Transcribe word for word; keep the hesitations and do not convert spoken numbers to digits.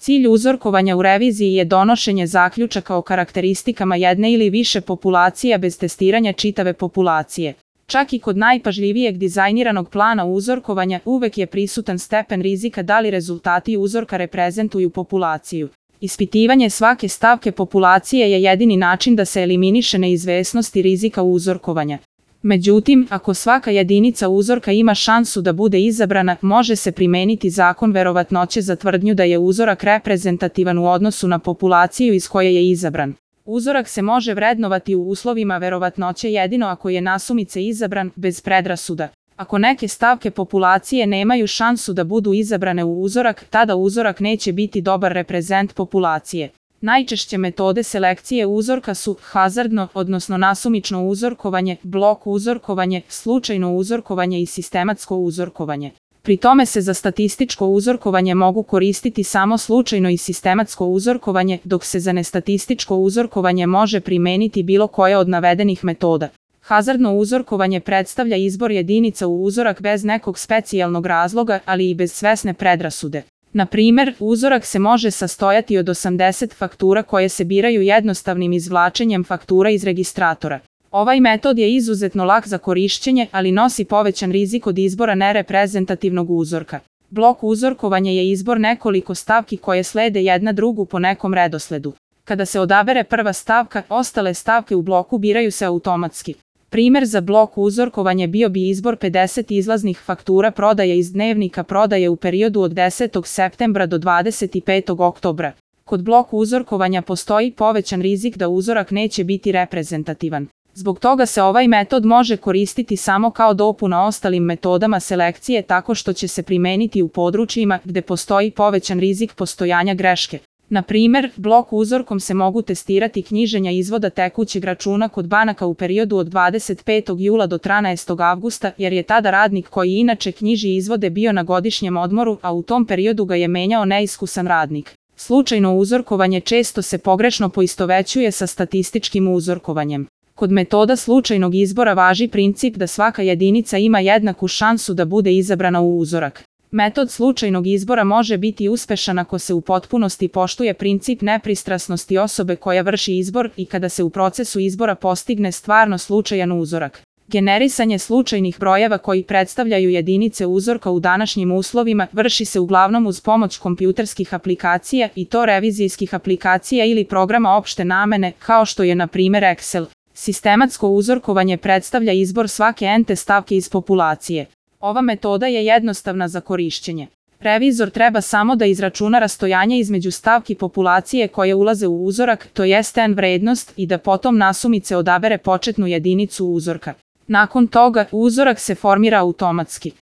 Cilj uzorkovanja u reviziji je donošenje zaključaka o karakteristikama jedne ili više populacija bez testiranja čitave populacije. Čak i kod najpažljivijeg dizajniranog plana uzorkovanja uvek je prisutan stepen rizika da li rezultati uzorka reprezentuju populaciju. Ispitivanje svake stavke populacije je jedini način da se eliminiše neizvesnost i rizika uzorkovanja. Međutim, ako svaka jedinica uzorka ima šansu da bude izabrana, može se primeniti zakon verovatnoće za tvrdnju da je uzorak reprezentativan u odnosu na populaciju iz koje je izabran. Uzorak se može vrednovati u uslovima verovatnoće jedino ako je nasumice izabran, bez predrasuda. Ako neke stavke populacije nemaju šansu da budu izabrane u uzorak, tada uzorak neće biti dobar reprezent populacije. Najčešće metode selekcije uzorka su hazardno, odnosno nasumično uzorkovanje, blok uzorkovanje, slučajno uzorkovanje i sistematsko uzorkovanje. Pri tome se za statističko uzorkovanje mogu koristiti samo slučajno i sistematsko uzorkovanje, dok se za nestatističko uzorkovanje može primeniti bilo koja od navedenih metoda. Hazardno uzorkovanje predstavlja izbor jedinica u uzorak bez nekog specijalnog razloga, ali i bez svesne predrasude. Na primer, uzorak se može sastojati od osamdeset faktura koje se biraju jednostavnim izvlačenjem faktura iz registratora. Ovaj metod je izuzetno lak za korišćenje, ali nosi povećan rizik od izbora nereprezentativnog uzorka. Blok uzorkovanja je izbor nekoliko stavki koje slede jedna drugu po nekom redosledu. Kada se odabere prva stavka, ostale stavke u bloku biraju se automatski. Primer za blok uzorkovanje bio bi izbor pedeset izlaznih faktura prodaje iz dnevnika prodaje u periodu od desetog septembra do dvadeset petog oktobra. Kod blok uzorkovanja postoji povećan rizik da uzorak neće biti reprezentativan. Zbog toga se ovaj metod može koristiti samo kao dopuna ostalim metodama selekcije tako što će se primeniti u područjima gde postoji povećan rizik postojanja greške. Na primer, blok uzorkom se mogu testirati knjiženja izvoda tekućeg računa kod banaka u periodu od dvadeset petog jula do trinaestog avgusta, jer je tada radnik koji inače knjiži izvode bio na godišnjem odmoru, a u tom periodu ga je menjao neiskusan radnik. Slučajno uzorkovanje često se pogrešno poistovećuje sa statističkim uzorkovanjem. Kod metoda slučajnog izbora važi princip da svaka jedinica ima jednaku šansu da bude izabrana u uzorak. Metod slučajnog izbora može biti uspešan ako se u potpunosti poštuje princip nepristrasnosti osobe koja vrši izbor i kada se u procesu izbora postigne stvarno slučajan uzorak. Generisanje slučajnih brojeva koji predstavljaju jedinice uzorka u današnjim uslovima vrši se uglavnom uz pomoć kompjuterskih aplikacija i to revizijskih aplikacija ili programa opšte namene, kao što je na primer Excel. Sistematsko uzorkovanje predstavlja izbor svake ente stavke iz populacije. Ova metoda je jednostavna za korišćenje. Revizor treba samo da izračuna rastojanje između stavki populacije koje ulaze u uzorak, to jest n vrednost, i da potom nasumice odabere početnu jedinicu uzorka. Nakon toga, uzorak se formira automatski.